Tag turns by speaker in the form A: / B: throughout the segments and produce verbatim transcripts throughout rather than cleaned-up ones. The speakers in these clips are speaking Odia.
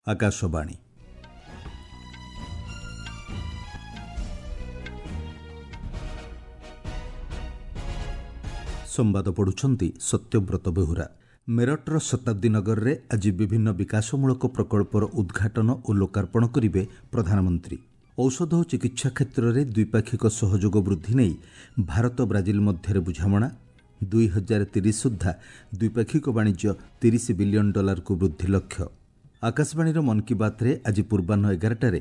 A: ଆକାଶବାଣୀ। ସମ୍ବାଦ ପଢ଼ୁଛନ୍ତି ସତ୍ୟବ୍ରତ ବେହୁରା। ମେରଠର ଶତାବ୍ଦୀ ନଗରରେ ଆଜି ବିଭିନ୍ନ ବିକାଶମୂଳକ ପ୍ରକଳ୍ପର ଉଦ୍ଘାଟନ ଓ ଲୋକାର୍ପଣ କରିବେ ପ୍ରଧାନମନ୍ତ୍ରୀ। ଔଷଧ ଓ ଚିକିତ୍ସା କ୍ଷେତ୍ରରେ ଦ୍ୱିପାକ୍ଷିକ ସହଯୋଗ ବୃଦ୍ଧି ନେଇ ଭାରତ ବ୍ରାଜିଲ ମଧ୍ୟରେ ବୁଝାମଣା। ଦୁଇ ହଜାର ତିରିଶ ସୁଦ୍ଧା ଦ୍ୱିପାକ୍ଷିକ ବାଣିଜ୍ୟ ତିରିଶ ବିଲିୟନ ଡଲାରକୁ ବୃଦ୍ଧି ଲକ୍ଷ୍ୟ। ଆକାଶବାଣୀର ମନ୍ କି ବାତ୍ରେ ଆଜି ପୂର୍ବାହ୍ନ ଏଗାରଟାରେ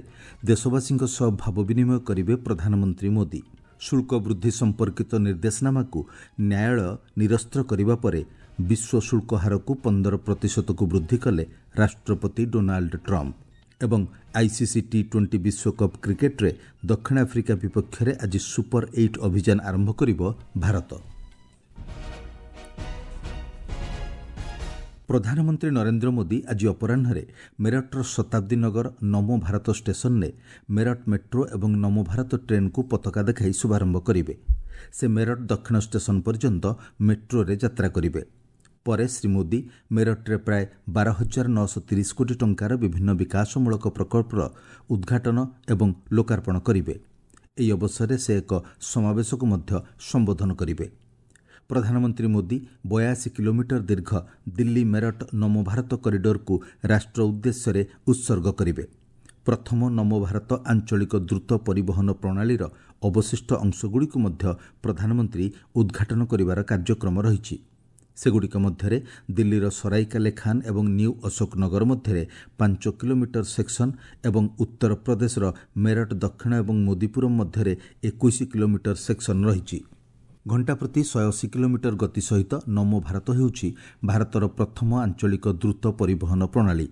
A: ଦେଶବାସୀଙ୍କ ସହ ଭାବ ବିନିମୟ କରିବେ ପ୍ରଧାନମନ୍ତ୍ରୀ ମୋଦି। ଶୁଳ୍କ ବୃଦ୍ଧି ସମ୍ପର୍କିତ ନିର୍ଦ୍ଦେଶନାମାକୁ ନ୍ୟାୟାଳୟ ନିରସ୍ତ୍ର କରିବା ପରେ ବିଶ୍ୱ ଶୁଳ୍କ ହାରକୁ ପନ୍ଦର ପ୍ରତିଶତକୁ ବୃଦ୍ଧି କଲେ ରାଷ୍ଟ୍ରପତି ଡୋନାଲ୍ଡ ଟ୍ରମ୍ପ। ଏବଂ ଆଇସିସି ଟି ଟ୍ୱେଣ୍ଟି ବିଶ୍ୱକପ୍ କ୍ରିକେଟ୍ରେ ଦକ୍ଷିଣ ଆଫ୍ରିକା ବିପକ୍ଷରେ ଆଜି ସୁପର ଏଇଟ୍ ଅଭିଯାନ ଆରମ୍ଭ କରିବ ଭାରତ। ପ୍ରଧାନମନ୍ତ୍ରୀ ନରେନ୍ଦ୍ର ମୋଦି ଆଜି ଅପରାହ୍ନରେ ମେରଠର ଶତାବ୍ଦୀ ନଗର ନମୋ ଭାରତ ଷ୍ଟେସନରେ ମେରଠ ମେଟ୍ରୋ ଏବଂ ନମୋ ଭାରତ ଟ୍ରେନ୍କୁ ପତାକା ଦେଖାଇ ଶୁଭାରମ୍ଭ କରିବେ। ସେ ମେରଠ ଦକ୍ଷିଣ ଷ୍ଟେସନ ପର୍ଯ୍ୟନ୍ତ ମେଟ୍ରୋରେ ଯାତ୍ରା କରିବେ। ପରେ ଶ୍ରୀ ମୋଦି ମେରଠରେ ପ୍ରାୟ ବାର ହଜାର ନଅଶହ ତିରିଶ କୋଟି ଟଙ୍କାର ବିଭିନ୍ନ ବିକାଶମୂଳକ ପ୍ରକଳ୍ପର ଉଦ୍ଘାଟନ ଏବଂ ଲୋକାର୍ପଣ କରିବେ। ଏହି ଅବସରରେ ସେ ଏକ ସମାବେଶକୁ ମଧ୍ୟ ସମ୍ବୋଧନ କରିବେ। ପ୍ରଧାନମନ୍ତ୍ରୀ ମୋଦି ବୟାଅଶୀ କିଲୋମିଟର ଦୀର୍ଘ ଦିଲ୍ଲୀ ମେରଠ ନମୋ ଭାରତ କରିଡରକୁ ରାଷ୍ଟ୍ର ଉଦ୍ଦେଶ୍ୟରେ ଉତ୍ସର୍ଗ କରିବେ। ପ୍ରଥମ ନମୋ ଭାରତ ଆଞ୍ଚଳିକ ଦ୍ରୁତ ପରିବହନ ପ୍ରଣାଳୀର ଅବଶିଷ୍ଟ ଅଂଶଗୁଡ଼ିକୁ ମଧ୍ୟ ପ୍ରଧାନମନ୍ତ୍ରୀ ଉଦ୍ଘାଟନ କରିବାର କାର୍ଯ୍ୟକ୍ରମ ରହିଛି। ସେଗୁଡ଼ିକ ମଧ୍ୟରେ ଦିଲ୍ଲୀର ସରାଇକାଲେ ଖାନ୍ ଏବଂ ନ୍ୟୁ ଅଶୋକ ନଗର ମଧ୍ୟରେ ପାଞ୍ଚ କିଲୋମିଟର ସେକ୍ସନ ଏବଂ ଉତ୍ତରପ୍ରଦେଶର ମେରଠ ଦକ୍ଷିଣ ଏବଂ ମୋଦିପୁରମ୍ ମଧ୍ୟରେ ଏକୋଇଶ କିଲୋମିଟର ସେକ୍ସନ ରହିଛି। ଘଣ୍ଟା ପ୍ରତି ଶହେ ଅଶୀ କିଲୋମିଟର ଗତି ସହିତ ନମୋ ଭାରତ ହେଉଛି ଭାରତର ପ୍ରଥମ ଆଞ୍ଚଳିକ ଦ୍ରୁତ ପରିବହନ ପ୍ରଣାଳୀ।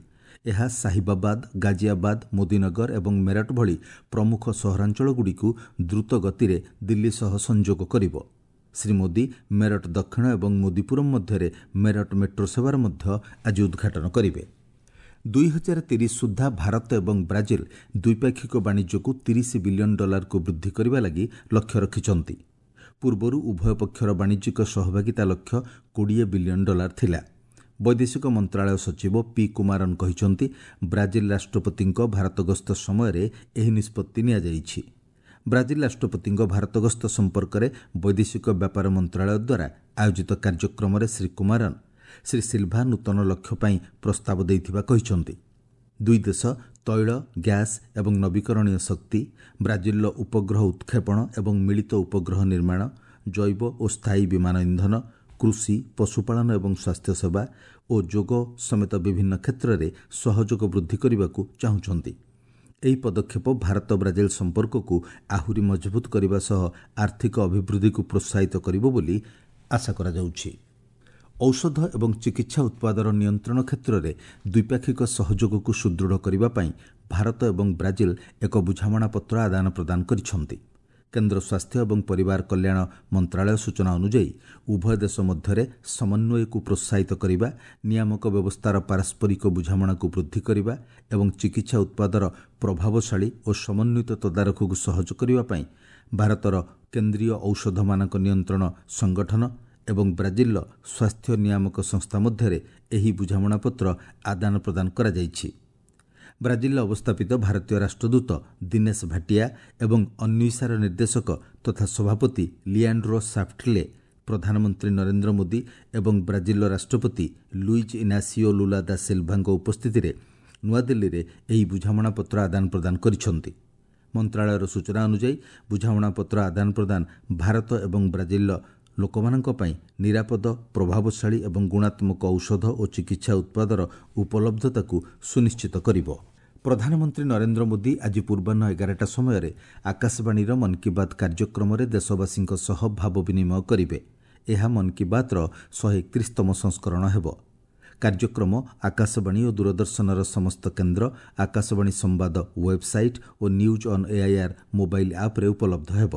A: ଏହା ସାହିବାବାଦ, ଗାଜିଆବାଦ, ମୋଦିନଗର ଏବଂ ମେରଠ ଭଳି ପ୍ରମୁଖ ସହରାଞ୍ଚଳଗୁଡ଼ିକୁ ଦ୍ରୁତ ଗତିରେ ଦିଲ୍ଲୀ ସହ ସଂଯୋଗ କରିବ। ଶ୍ରୀ ମୋଦି ମେରଠ ଦକ୍ଷିଣ ଏବଂ ମୋଦିପୁରମ୍ ମଧ୍ୟରେ ମେରଠ ମେଟ୍ରୋ ସେବାର ମଧ୍ୟ ଆଜି ଉଦ୍ଘାଟନ କରିବେ। ଦୁଇ ହଜାର ତିରିଶ ସୁଦ୍ଧା ଭାରତ ଏବଂ ବ୍ରାଜିଲ ଦ୍ୱିପାକ୍ଷିକ ବାଣିଜ୍ୟକୁ ତିରିଶ ବିଲିୟନ ଡଲାରକୁ ବୃଦ୍ଧି କରିବା ଲାଗି ଲକ୍ଷ୍ୟ ରଖିଛନ୍ତି। ପୂର୍ବରୁ ଉଭୟ ପକ୍ଷର ବାଣିଜ୍ୟିକ ସହଭାଗିତା ଲକ୍ଷ୍ୟ କୋଡ଼ିଏ ବିଲିୟନ ଡଲାର ଥିଲା। ବୈଦେଶିକ ମନ୍ତ୍ରଣାଳୟ ସଚିବ ପି କୁମାରନ୍ କହିଛନ୍ତି, ବ୍ରାଜିଲ ରାଷ୍ଟ୍ରପତିଙ୍କ ଭାରତ ଗସ୍ତ ସମୟରେ ଏହି ନିଷ୍ପତ୍ତି ନିଆଯାଇଛି। ବ୍ରାଜିଲ ରାଷ୍ଟ୍ରପତିଙ୍କ ଭାରତ ଗସ୍ତ ସମ୍ପର୍କରେ ବୈଦେଶିକ ବ୍ୟାପାର ମନ୍ତ୍ରଣାଳୟ ଦ୍ୱାରା ଆୟୋଜିତ କାର୍ଯ୍ୟକ୍ରମରେ ଶ୍ରୀ କୁମାରନ୍ ଶ୍ରୀ ସିଲ୍ଭା ନୂତନ ଲକ୍ଷ୍ୟ ପାଇଁ ପ୍ରସ୍ତାବ ଦେଇଥିବା କହିଛନ୍ତି। ଦୁଇ ଦେଶ ତୈଳ, ଗ୍ୟାସ୍ ଏବଂ ନବୀକରଣୀୟ ଶକ୍ତି, ବ୍ରାଜିଲର ଉପଗ୍ରହ ଉତ୍କ୍ଷେପଣ ଏବଂ ମିଳିତ ଉପଗ୍ରହ ନିର୍ମାଣ, ଜୈବ ଓ ସ୍ଥାୟୀ ବିମାନ ଇନ୍ଧନ, କୃଷି, ପଶୁପାଳନ ଏବଂ ସ୍ୱାସ୍ଥ୍ୟସେବା ଓ ଯୋଗ ସମେତ ବିଭିନ୍ନ କ୍ଷେତ୍ରରେ ସହଯୋଗ ବୃଦ୍ଧି କରିବାକୁ ଚାହୁଁଛନ୍ତି। ଏହି ପଦକ୍ଷେପ ଭାରତ ବ୍ରାଜିଲ ସମ୍ପର୍କକୁ ଆହୁରି ମଜବୁତ କରିବା ସହ ଆର୍ଥିକ ଅଭିବୃଦ୍ଧିକୁ ପ୍ରୋତ୍ସାହିତ କରିବ ବୋଲି ଆଶା କରାଯାଉଛି। ଔଷଧ ଏବଂ ଚିକିତ୍ସା ଉତ୍ପାଦର ନିୟନ୍ତ୍ରଣ କ୍ଷେତ୍ରରେ ଦ୍ୱିପାକ୍ଷିକ ସହଯୋଗକୁ ସୁଦୃଢ଼ କରିବା ପାଇଁ ଭାରତ ଏବଂ ବ୍ରାଜିଲ ଏକ ବୁଝାମଣାପତ୍ର ଆଦାନ ପ୍ରଦାନ କରିଛନ୍ତି। କେନ୍ଦ୍ର ସ୍ୱାସ୍ଥ୍ୟ ଏବଂ ପରିବାର କଲ୍ୟାଣ ମନ୍ତ୍ରଣାଳୟ ସୂଚନା ଅନୁଯାୟୀ ଉଭୟ ଦେଶ ମଧ୍ୟରେ ସମନ୍ୱୟକୁ ପ୍ରୋତ୍ସାହିତ କରିବା, ନିୟାମକ ବ୍ୟବସ୍ଥାର ପାରସ୍ପରିକ ବୁଝାମଣାକୁ ବୃଦ୍ଧି କରିବା ଏବଂ ଚିକିତ୍ସା ଉତ୍ପାଦର ପ୍ରଭାବଶାଳୀ ଓ ସମନ୍ୱିତ ତଦାରଖକୁ ସହଜ କରିବା ପାଇଁ ଭାରତର କେନ୍ଦ୍ରୀୟ ଔଷଧ ମାନକ ନିୟନ୍ତ୍ରଣ ସଂଗଠନ ଏବଂ ବ୍ରାଜିଲର ସ୍ୱାସ୍ଥ୍ୟ ନିୟାମକ ସଂସ୍ଥା ମଧ୍ୟରେ ଏହି ବୁଝାମଣାପତ୍ର ଆଦାନ ପ୍ରଦାନ କରାଯାଇଛି। ବ୍ରାଜିଲରେ ଅବସ୍ଥାପିତ ଭାରତୀୟ ରାଷ୍ଟ୍ରଦୂତ ଦିନେଶ ଭାଟିଆ ଏବଂ ଅନ୍ୱିଷାର ନିର୍ଦ୍ଦେଶକ ତଥା ସଭାପତି ଲିଆଣ୍ଡ୍ରୋ ସାଫ୍ଟଲେ ପ୍ରଧାନମନ୍ତ୍ରୀ ନରେନ୍ଦ୍ର ମୋଦି ଏବଂ ବ୍ରାଜିଲର ରାଷ୍ଟ୍ରପତି ଲୁଇଜ୍ ଇନାସିଓ ଲୁଲା ଦା ସିଲ୍ଭାଙ୍କ ଉପସ୍ଥିତିରେ ନୂଆଦିଲ୍ଲୀରେ ଏହି ବୁଝାମଣାପତ୍ର ଆଦାନ ପ୍ରଦାନ କରିଛନ୍ତି। ମନ୍ତ୍ରଣାଳୟର ସୂଚନା ଅନୁଯାୟୀ ବୁଝାମଣାପତ୍ର ଆଦାନ ପ୍ରଦାନ ଭାରତ ଏବଂ ବ୍ରାଜିଲର ଲୋକମାନଙ୍କ ପାଇଁ ନିରାପଦ, ପ୍ରଭାବଶାଳୀ ଏବଂ ଗୁଣାତ୍ମକ ଔଷଧ ଓ ଚିକିତ୍ସା ଉତ୍ପାଦର ଉପଲବ୍ଧତାକୁ ସୁନିଶ୍ଚିତ କରିବ। ପ୍ରଧାନମନ୍ତ୍ରୀ ନରେନ୍ଦ୍ର ମୋଦି ଆଜି ପୂର୍ବାହ୍ନ ଏଗାରଟା ସମୟରେ ଆକାଶବାଣୀର ମନ୍ କି ବାତ୍ କାର୍ଯ୍ୟକ୍ରମରେ ଦେଶବାସୀଙ୍କ ସହ ଭାବ ବିନିମୟ କରିବେ। ଏହା ମନ୍ କି ବାତ୍ର ଶହେ ଏକତିରିଶତମ ସଂସ୍କରଣ ହେବ। କାର୍ଯ୍ୟକ୍ରମ ଆକାଶବାଣୀ ଓ ଦୂରଦର୍ଶନର ସମସ୍ତ କେନ୍ଦ୍ର, ଆକାଶବାଣୀ ସମ୍ବାଦ website O news on AIR mobile ଆପ୍ରେ ଉପଲବ୍ଧ ହେବ।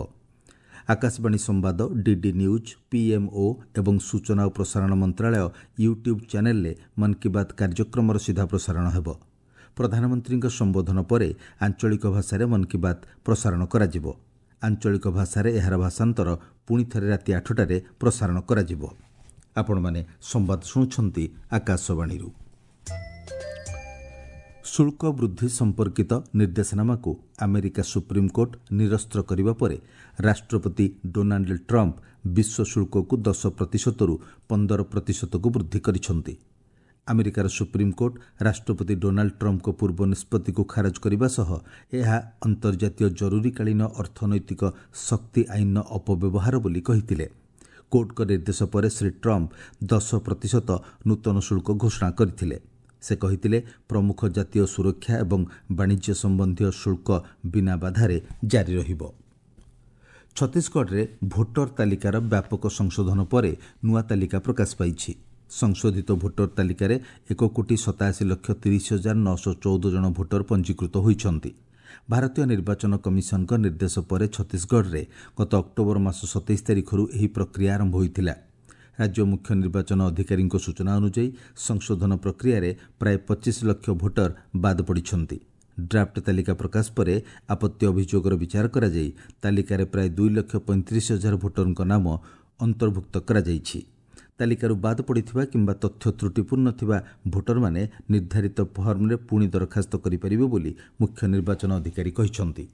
A: ଆକାଶବାଣୀ ସମ୍ବାଦ, ଡିଡି ନ୍ୟୁଜ୍, ପିଏମ୍ଓ ଏବଂ ସୂଚନା ଓ ପ୍ରସାରଣ ମନ୍ତ୍ରଣାଳୟ ୟୁଟ୍ୟୁବ୍ ଚ୍ୟାନେଲ୍ରେ ମନ୍ କି ବାତ୍ କାର୍ଯ୍ୟକ୍ରମର ସିଧା ପ୍ରସାରଣ ହେବ। ପ୍ରଧାନମନ୍ତ୍ରୀଙ୍କ ସମ୍ବୋଧନ ପରେ ଆଞ୍ଚଳିକ ଭାଷାରେ ମନ୍ କି ବାତ୍ ପ୍ରସାରଣ କରାଯିବ। ଆଞ୍ଚଳିକ ଭାଷାରେ ଏହାର ଭାଷାନ୍ତର ପୁଣି ଥରେ ରାତି ଆଠଟାରେ ପ୍ରସାରଣ କରାଯିବ। ଆପଣମାନେ ସମ୍ବାଦ ଶୁଣୁଛନ୍ତି ଆକାଶବାଣୀରୁ। ଶୁଳ୍କ ବୃଦ୍ଧି ସମ୍ପର୍କିତ ନିର୍ଦ୍ଦେଶନାମାକୁ ଆମେରିକା ସୁପ୍ରିମକୋର୍ଟ ନିରସ୍ତ୍ର କରିବା ପରେ ରାଷ୍ଟ୍ରପତି ଡୋନାଲ୍ଡ ଟ୍ରମ୍ପ ବିଶ୍ୱ ଶୁଳ୍କକୁ ଦଶ ପ୍ରତିଶତରୁ ପନ୍ଦର ପ୍ରତିଶତକୁ ବୃଦ୍ଧି କରିଛନ୍ତି। ଆମେରିକାର ସୁପ୍ରିମକୋର୍ଟ ରାଷ୍ଟ୍ରପତି ଡୋନାଲ୍ଡ ଟ୍ରମ୍ପଙ୍କ ପୂର୍ବ ନିଷ୍ପତ୍ତିକୁ ଖାରଜ କରିବା ସହ ଏହା ଅନ୍ତର୍ଜାତୀୟ ଜରୁରୀକାଳୀନ ଅର୍ଥନୈତିକ ଶକ୍ତି ଆଇନର ଅପବ୍ୟବହାର ବୋଲି କହିଥିଲେ। କୋର୍ଟଙ୍କ ନିର୍ଦ୍ଦେଶ ପରେ ଶ୍ରୀ ଟ୍ରମ୍ପ ଦଶ ପ୍ରତିଶତ ନୂତନ ଶୁଳ୍କ ଘୋଷଣା କରିଥିଲେ। ସେ କହିଥିଲେ, ପ୍ରମୁଖ ଜାତୀୟ ସୁରକ୍ଷା ଏବଂ ବାଣିଜ୍ୟ ସମ୍ବନ୍ଧୀୟ ଶୁଳ୍କ ବିନା ବାଧାରେ ଜାରି ରହିବ। ଛତିଶଗଡ଼ରେ ଭୋଟର ତାଲିକାର ବ୍ୟାପକ ସଂଶୋଧନ ପରେ ନୂଆ ତାଲିକା ପ୍ରକାଶ ପାଇଛି। ସଂଶୋଧିତ ଭୋଟର ତାଲିକାରେ ଏକ କୋଟି ସତାଅଶୀ ଲକ୍ଷ ତିରିଶ ହଜାର ନଅଶହ ଚଉଦ ଜଣ ଭୋଟର ପଞ୍ଜୀକୃତ ହୋଇଛନ୍ତି। ଭାରତୀୟ ନିର୍ବାଚନ କମିଶନଙ୍କ ନିର୍ଦ୍ଦେଶ ପରେ ଛତିଶଗଡ଼ରେ ଗତ ଅକ୍ଟୋବର ମାସ ସତେଇଶ ତାରିଖରୁ ଏହି ପ୍ରକ୍ରିୟା ଆରମ୍ଭ ହୋଇଥିଲା। ରାଜ୍ୟ ମୁଖ୍ୟ ନିର୍ବାଚନ ଅଧିକାରୀଙ୍କ ସୂଚନା ଅନୁଯାୟୀ ସଂଶୋଧନ ପ୍ରକ୍ରିୟାରେ ପ୍ରାୟ ପଚିଶ ଲକ୍ଷ ଭୋଟର ବାଦ ପଡ଼ିଛନ୍ତି। ଡ୍ରାଫ୍ଟ ତାଲିକା ପ୍ରକାଶ ପରେ ଆପତ୍ତି ଅଭିଯୋଗର ବିଚାର କରାଯାଇ ତାଲିକାରେ ପ୍ରାୟ ଦୁଇ ଲକ୍ଷ ପଇଁତିରିଶ ହଜାର ଭୋଟରଙ୍କ ନାମ ଅନ୍ତର୍ଭୁକ୍ତ କରାଯାଇଛି। ତାଲିକାରୁ ବାଦ ପଡ଼ିଥିବା କିମ୍ବା ତଥ୍ୟ ତ୍ରୁଟିପୂର୍ଣ୍ଣ ଥିବା ଭୋଟରମାନେ ନିର୍ଦ୍ଧାରିତ ଫର୍ମରେ ପୁଣି ଦରଖାସ୍ତ କରିପାରିବେ ବୋଲି ମୁଖ୍ୟ ନିର୍ବାଚନ ଅଧିକାରୀ କହିଛନ୍ତି।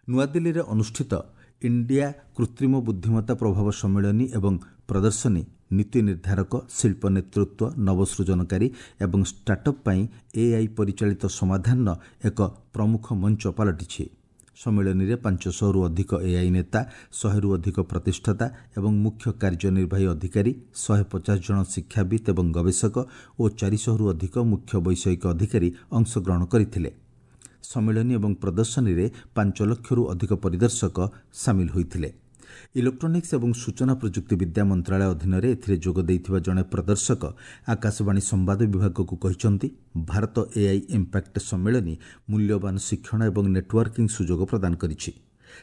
A: ନୂଆଦିଲ୍ଲୀରେ ଅନୁଷ୍ଠିତ ଇଣ୍ଡିଆ କୃତ୍ରିମ ବୁଦ୍ଧିମତ୍ତା ପ୍ରଭାବ ସମ୍ମିଳନୀ ଏବଂ ପ୍ରଦର୍ଶନୀ ନୀତି ନିର୍ଦ୍ଧାରକ, ଶିଳ୍ପ ନେତୃତ୍ୱ, ନବସୃଜନକାରୀ ଏବଂ ଷ୍ଟାର୍ଟଅପ୍ ପାଇଁ ଏଆଇ ପରିଚାଳିତ ସମାଧାନର ଏକ ପ୍ରମୁଖ ମଞ୍ଚ ପାଲଟିଛି। ସମ୍ମିଳନୀରେ ପାଞ୍ଚଶହରୁ ଅଧିକ ଏଆଇ ନେତା, ଶହେରୁ ଅଧିକ ପ୍ରତିଷ୍ଠାତା ଏବଂ ମୁଖ୍ୟ କାର୍ଯ୍ୟନିର୍ବାହୀ ଅଧିକାରୀ, ଶହେ ପଚାଶ ଜଣ ଶିକ୍ଷାବିତ୍ ଏବଂ ଗବେଷକ ଓ ଚାରିଶହରୁ ଅଧିକ ମୁଖ୍ୟ ବୈଷୟିକ ଅଧିକାରୀ ଅଂଶଗ୍ରହଣ କରିଥିଲେ। ସମ୍ମିଳନୀ ଏବଂ ପ୍ରଦର୍ଶନୀରେ ପାଞ୍ଚ ଲକ୍ଷରୁ ଅଧିକ ପରିଦର୍ଶକ ସାମିଲ ହୋଇଥିଲେ। ଇଲେକ୍ଟ୍ରୋନିକ୍ସ ଏବଂ ସୂଚନା ପ୍ରଯୁକ୍ତିବିଦ୍ୟା ମନ୍ତ୍ରାଳୟ ଅଧୀନରେ ଏଥିରେ ଯୋଗ ଦେଇଥିବା ଜଣେ ପ୍ରଦର୍ଶକ ଆକାଶବାଣୀ ସମ୍ବାଦ ବିଭାଗକୁ କହିଛନ୍ତି, ଭାରତ ଏଆଇ ଇମ୍ପାକ୍ଟ ସମ୍ମିଳନୀ ମୂଲ୍ୟବାନ ଶିକ୍ଷଣ ଏବଂ ନେଟୱାର୍କିଂ ସୁଯୋଗ ପ୍ରଦାନ କରିଛି।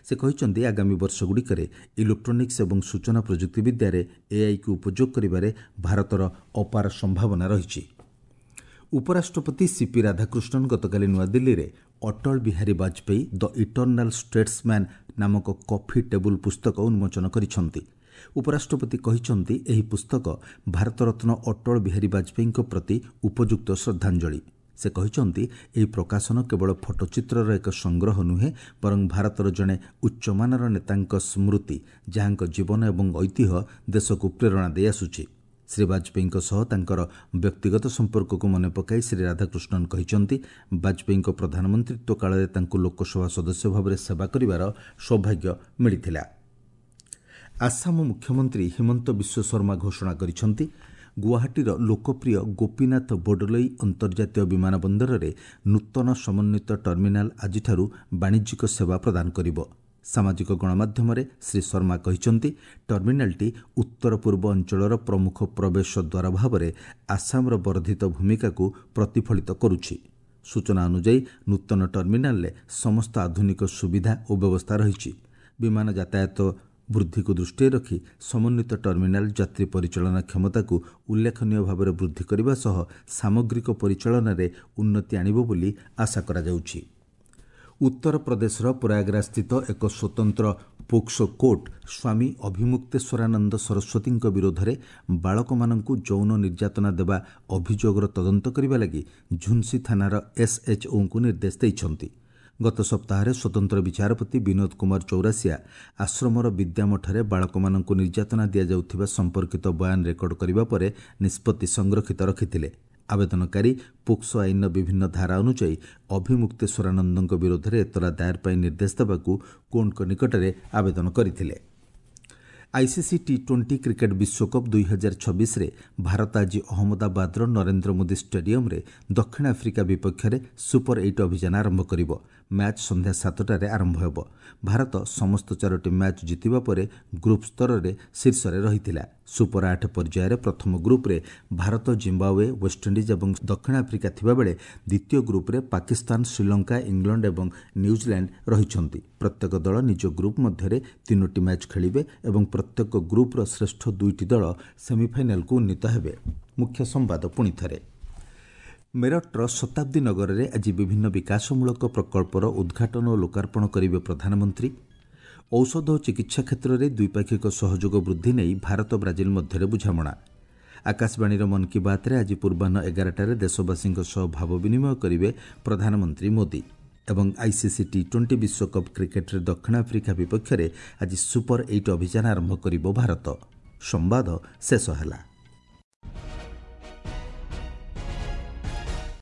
A: ସେ କହିଛନ୍ତି, ଆଗାମୀ ବର୍ଷଗୁଡ଼ିକରେ ଇଲେକ୍ଟ୍ରୋନିକ୍ସ ଏବଂ ସୂଚନା ପ୍ରଯୁକ୍ତିବିଦ୍ୟାରେ ଏଆଇକୁ ଉପଯୋଗ କରିବାରେ ଭାରତର ଅପାର ସମ୍ଭାବନା ରହିଛି। ଉପରାଷ୍ଟ୍ରପତି ସିପି ରାଧାକୃଷ୍ଣନ ଗତକାଲି ନୂଆଦିଲ୍ଲୀରେ Atal Bihari Vajpayee the eternal statesman ନାମକ କଫି ଟେବୁଲ ପୁସ୍ତକ ଉନ୍ମୋଚନ କରିଛନ୍ତି। ଉପରାଷ୍ଟ୍ରପତି କହିଛନ୍ତି, ଏହି ପୁସ୍ତକ ଭାରତରତ୍ନ ଅଟଳ ବିହାରୀ ବାଜପେୟୀଙ୍କ ପ୍ରତି ଉପଯୁକ୍ତ ଶ୍ରଦ୍ଧାଞ୍ଜଳି। ସେ କହିଛନ୍ତି, ଏହି ପ୍ରକାଶନ କେବଳ ଫଟୋଚିତ୍ରର ଏକ ସଂଗ୍ରହ ନୁହେଁ, ବରଂ ଭାରତର ଜଣେ ଉଚ୍ଚମାନର ନେତାଙ୍କ ସ୍ମୃତି, ଯାହାଙ୍କ ଜୀବନ ଏବଂ ଐତିହ୍ୟ ଦେଶକୁ ପ୍ରେରଣା ଦେଇ ଆସୁଛି। ଶ୍ରୀ ବାଜପେୟୀଙ୍କ ସହ ତାଙ୍କର ବ୍ୟକ୍ତିଗତ ସମ୍ପର୍କକୁ ମନେ ପକାଇ ଶ୍ରୀ ରାଧାକୃଷ୍ଣନ କହିଛନ୍ତି, ବାଜପେୟୀଙ୍କ ପ୍ରଧାନମନ୍ତ୍ରିତ୍ୱ କାଳରେ ତାଙ୍କୁ ଲୋକସଭା ସଦସ୍ୟ ଭାବରେ ସେବା କରିବାର ସୌଭାଗ୍ୟ ମିଳିଥିଲା। ଆସାମ ମୁଖ୍ୟମନ୍ତ୍ରୀ ହିମନ୍ତ ବିଶ୍ୱ ଶର୍ମା ଘୋଷଣା କରିଛନ୍ତି, ଗୁଆହାଟୀର ଲୋକପ୍ରିୟ ଗୋପୀନାଥ ବୋର୍ଡୋଲୋଇ ଅନ୍ତର୍ଜାତୀୟ ବିମାନ ବନ୍ଦରରେ ନୂତନ ସମନ୍ୱିତ ଟର୍ମିନାଲ ଆଜିଠାରୁ ବାଣିଜ୍ୟିକ ସେବା ପ୍ରଦାନ କରିବ। ସାମାଜିକ ଗଣମାଧ୍ୟମରେ ଶ୍ରୀ ଶର୍ମା କହିଛନ୍ତି, ଟର୍ମିନାଲଟି ଉତ୍ତର ପୂର୍ବ ଅଞ୍ଚଳର ପ୍ରମୁଖ ପ୍ରବେଶ ଦ୍ୱାର ଭାବରେ ଆସାମର ବର୍ଦ୍ଧିତ ଭୂମିକାକୁ ପ୍ରତିଫଳିତ କରୁଛି। ସୂଚନା ଅନୁଯାୟୀ ନୂତନ ଟର୍ମିନାଲରେ ସମସ୍ତ ଆଧୁନିକ ସୁବିଧା ଓ ବ୍ୟବସ୍ଥା ରହିଛି। ବିମାନ ଯାତାୟାତ ବୃଦ୍ଧିକୁ ଦୃଷ୍ଟିରେ ରଖି ସମନ୍ୱିତ ଟର୍ମିନାଲ ଯାତ୍ରୀ ପରିଚାଳନା କ୍ଷମତାକୁ ଉଲ୍ଲେଖନୀୟ ଭାବରେ ବୃଦ୍ଧି କରିବା ସହ ସାମଗ୍ରିକ ପରିଚାଳନାରେ ଉନ୍ନତି ଆଣିବ ବୋଲି ଆଶା କରାଯାଉଛି। ଉତ୍ତରପ୍ରଦେଶର ପ୍ରୟାଗରାଜସ୍ଥିତ ଏକ ସ୍ୱତନ୍ତ୍ର ପୋକ୍ସୋ କୋର୍ଟ ସ୍ୱାମୀ ଅଭିମୁକ୍ତେଶ୍ୱରାନନ୍ଦ ସରସ୍ୱତୀଙ୍କ ବିରୋଧରେ ବାଳକମାନଙ୍କୁ ଯୌନ ନିର୍ଯାତନା ଦେବା ଅଭିଯୋଗର ତଦନ୍ତ କରିବା ଲାଗି ଝୁନ୍ସି ଥାନାର ଏସ୍ଏଚ୍ଓଙ୍କୁ ନିର୍ଦ୍ଦେଶ ଦେଇଛନ୍ତି। ଗତ ସପ୍ତାହରେ ସ୍ୱତନ୍ତ୍ର ବିଚାରପତି ବିନୋଦ କୁମାର ଚୌରାସିଆ ଆଶ୍ରମର ବିଦ୍ୟାମଠରେ ବାଳକମାନଙ୍କୁ ନିର୍ଯାତନା ଦିଆଯାଉଥିବା ସମ୍ପର୍କିତ ବୟାନ ରେକର୍ଡ କରିବା ପରେ ନିଷ୍ପତ୍ତି ସଂରକ୍ଷିତ ରଖିଥିଲେ। ଆବେଦନକାରୀ ପୋକ୍ସୋ ଆଇନର ବିଭିନ୍ନ ଧାରା ଅନୁଯାୟୀ ଅଭିମୁକ୍ତେଶ୍ୱରାନନ୍ଦଙ୍କ ବିରୋଧରେ ଏତଲା ଦାଏର ପାଇଁ ନିର୍ଦ୍ଦେଶ ଦେବାକୁ କୋର୍ଟଙ୍କ ନିକଟରେ ଆବେଦନ କରିଥିଲେ। ଆଇସିସି ଟି ଟ୍ୱେଣ୍ଟି କ୍ରିକେଟ୍ ବିଶ୍ୱକପ୍ ଦୁଇ ହଜାର ଛବିଶରେ ଭାରତ ଆଜି ଅହମ୍ମଦାବାଦର ନରେନ୍ଦ୍ର ମୋଦି ଷ୍ଟାଡିୟମ୍ରେ ଦକ୍ଷିଣ ଆଫ୍ରିକା ବିପକ୍ଷରେ ସୁପର ଏଇଟ୍ ଅଭିଯାନ ଆରମ୍ଭ କରିବ। ମ୍ୟାଚ୍ ସନ୍ଧ୍ୟା ସାତଟାରେ ଆରମ୍ଭ ହେବ। ଭାରତ ସମସ୍ତ ଚାରୋଟି ମ୍ୟାଚ୍ ଜିତିବା ପରେ ଗ୍ରୁପ୍ ସ୍ତରରେ ଶୀର୍ଷରେ ରହିଥିଲା। ସୁପର ଆଠ ପର୍ଯ୍ୟାୟରେ ପ୍ରଥମ ଗ୍ରୁପ୍ରେ ଭାରତ, ଜିମ୍ବାୱେ, ୱେଷ୍ଟଇଣ୍ଡିଜ୍ ଏବଂ ଦକ୍ଷିଣ ଆଫ୍ରିକା ଥିବାବେଳେ ଦ୍ୱିତୀୟ ଗ୍ରୁପ୍ରେ ପାକିସ୍ତାନ, ଶ୍ରୀଲଙ୍କା, ଇଂଲଣ୍ଡ ଏବଂ ନ୍ୟୁଜିଲାଣ୍ଡ ରହିଛନ୍ତି। ପ୍ରତ୍ୟେକ ଦଳ ନିଜ ଗ୍ରୁପ୍ ମଧ୍ୟରେ ତିନୋଟି ମ୍ୟାଚ୍ ଖେଳିବେ ଏବଂ ପ୍ରତ୍ୟେକ ଗ୍ରୁପ୍ର ଶ୍ରେଷ୍ଠ ଦୁଇଟି ଦଳ ସେମିଫାଇନାଲକୁ ଉନ୍ନୀତ ହେବେ। ମୁଖ୍ୟ ସମ୍ବାଦ ପୁଣିଥରେ। ମେରଠର ଶତାବ୍ଦୀ ନଗରରେ ଆଜି ବିଭିନ୍ନ ବିକାଶମୂଳକ ପ୍ରକଳ୍ପର ଉଦ୍ଘାଟନ ଓ ଲୋକାର୍ପଣ କରିବେ ପ୍ରଧାନମନ୍ତ୍ରୀ। ଔଷଧ ଓ ଚିକିତ୍ସା କ୍ଷେତ୍ରରେ ଦ୍ୱିପାକ୍ଷିକ ସହଯୋଗ ବୃଦ୍ଧି ନେଇ ଭାରତ ବ୍ରାଜିଲ ମଧ୍ୟରେ ବୁଝାମଣା। ଆକାଶବାଣୀର ମନ୍ କି ବାତ୍ରେ ଆଜି ପୂର୍ବାହ୍ନ ଏଗାରଟାରେ ଦେଶବାସୀଙ୍କ ସହ ଭାବ ବିନିମୟ କରିବେ ପ୍ରଧାନମନ୍ତ୍ରୀ ମୋଦି। ଏବଂ ଆଇସିସି ଟି ଟ୍ୱେଣ୍ଟି ବିଶ୍ୱକପ୍ କ୍ରିକେଟ୍ରେ ଦକ୍ଷିଣ ଆଫ୍ରିକା ବିପକ୍ଷରେ ଆଜି ସୁପର ଏଇଟ୍ ଅଭିଯାନ ଆରମ୍ଭ କରିବ ଭାରତ। ସମ୍ବାଦ ଶେଷ ହେଲା।